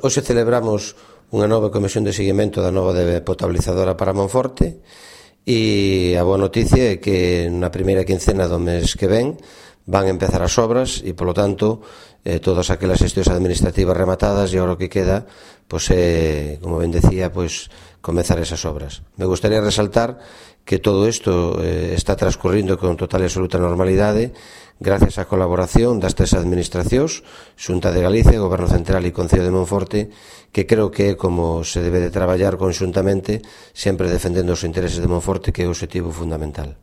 Hoxe celebramos unha nova comisión de seguimento da nova potabilizadora para Monforte e a boa noticia é que na primeira quincena do mes que ven van empezar as obras e, polo tanto, todas aquelas xestións administrativas rematadas e agora o que queda, pois é, como ben decía, pois comezar esas obras. Me gustaría resaltar que todo isto está transcurrindo con total e absoluta normalidade gracias á colaboración das tres administracións, Xunta de Galicia, Goberno Central e Concello de Monforte, que creo que é como se debe de traballar conxuntamente, sempre defendendo os intereses de Monforte, que é o obxectivo fundamental.